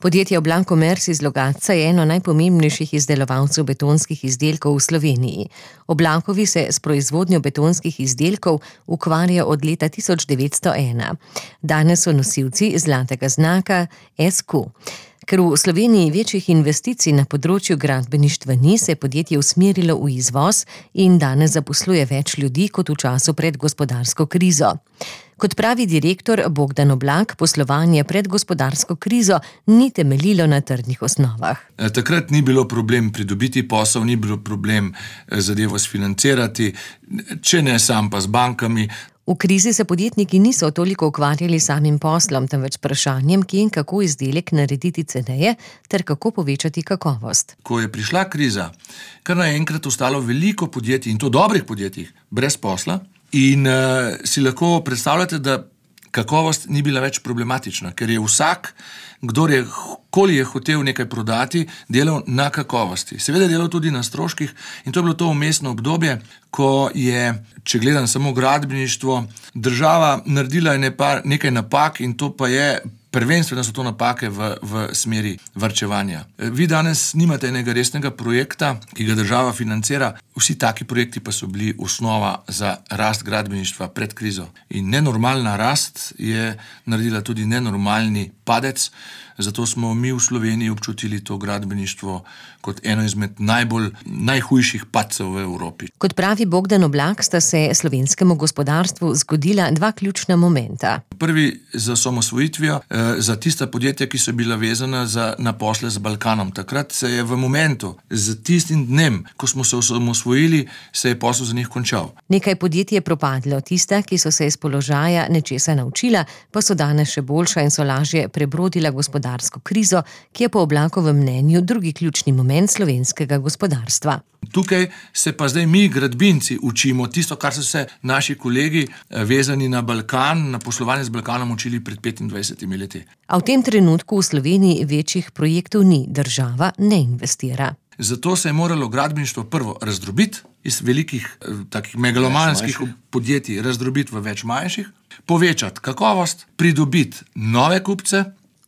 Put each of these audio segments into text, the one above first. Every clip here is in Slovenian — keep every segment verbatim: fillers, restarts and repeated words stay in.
Podjetje Oblankomers iz Logatca je eno najpomembnejših izdelovalcev betonskih izdelkov v Sloveniji. Oblankovi se s proizvodnjo betonskih izdelkov ukvarja od leta tisoč devetsto ena. Danes so nosilci zlatega znaka S Q. Ker v Sloveniji večjih investicij na področju gradbeništva ni, se je podjetje usmerilo v izvoz in danes zaposluje več ljudi kot v času pred gospodarsko krizo. Kot pravi direktor Bogdan Oblak, poslovanje pred gospodarsko krizo ni temeljilo na trdnih osnovah. Takrat ni bilo problem pridobiti posel, ni bilo problem zadevo sfinancirati, če ne sam pa z bankami. V krizi se podjetniki niso toliko ukvarjali samim poslom, temveč vprašanjem, kje in kako izdelek narediti ceneje ter kako povečati kakovost. Ko je prišla kriza, kar naenkrat ostalo veliko podjetij, in to dobrih podjetij, brez posla, in uh, si lahko predstavljate, da kakovost ni bila več problematična, ker je vsak, kdor je, koli je hotel nekaj prodati, delal na kakovosti. Seveda delal tudi na stroških in to je bilo to vmesno obdobje, ko je, če gledam samo gradbeništvo, država naredila nekaj napak in to pa je, prvenstveno so to napake v, v smeri varčevanja. Vi danes nimate enega resnega projekta, ki ga država financira, vsi taki projekti pa so bili osnova za rast gradbeništva pred krizo. In nenormalna rast je naredila tudi nenormalni padec, zato smo mi v Sloveniji občutili to gradbeništvo kot eno izmed najbolj, najhujših padcev v Evropi. Kot pravi Bogdan Oblak, sta se slovenskemu gospodarstvu zgodila dva ključna momenta. Prvi za osamosvojitvijo, za tista podjetja, ki so bila vezana za, na posle z Balkanom. Takrat se je v momentu, z tistim dnem, ko smo se osamosvojili, se je posel za njih končal. Nekaj podjetij je propadlo, tista, ki so se iz položaja nečesa naučila, pa so danes še boljša in so lažje prebrodila gospodarsko krizo, ki je po Oblakovem mnenju drugi ključni moment slovenskega gospodarstva. Tukaj se pa zdaj mi, gradbinci, učimo tisto, kar so se naši kolegi vezani na Balkan, na poslovanje z Balkanom učili pred petindvajsetimi leti. A v tem trenutku v Sloveniji večjih projektov ni, država ne investira. Zato se je moralo gradbeništvo prvo razdrobiti iz velikih, takih megalomanskih podjetij, razdrobiti v več manjših, povečati kakovost, pridobiti nove kupce.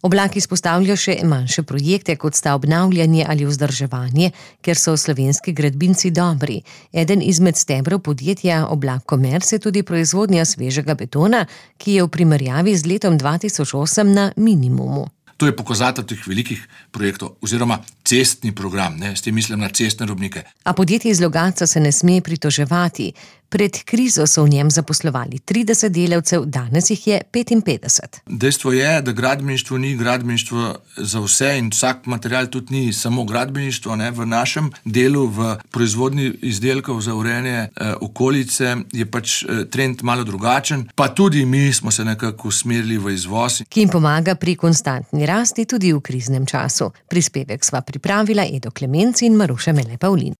Oblak izpostavlja še manjše projekte, kot sta obnavljanje ali vzdrževanje, ker so slovenski gradbinci dobri. Eden izmed stebrov podjetja Oblankomers je tudi proizvodnja svežega betona, ki je v primerjavi z letom dva tisoč osem na minimumu. To je pokazatelj teh velikih projektov, oziroma cestni program, ne, s tem mislim na cestne robnike. A podjetje iz Logatca se ne sme pritoževati. Pred krizo so v njem zaposlovali trideset delavcev, danes jih je petinpetdeset. Dejstvo je, da gradbeništvo ni gradbeništvo za vse in vsak material tudi ni samo gradbeništvo. Ne. V našem delu, v proizvodnji izdelkov za urejanje eh, okolice je pač eh, trend malo drugačen, pa tudi mi smo se nekako usmerili v izvoz. Ki jim pomaga pri konstantni rasti tudi v kriznem času. Prispevek sva pripravila Edo Klemenc in Maruša Mele Pavlin.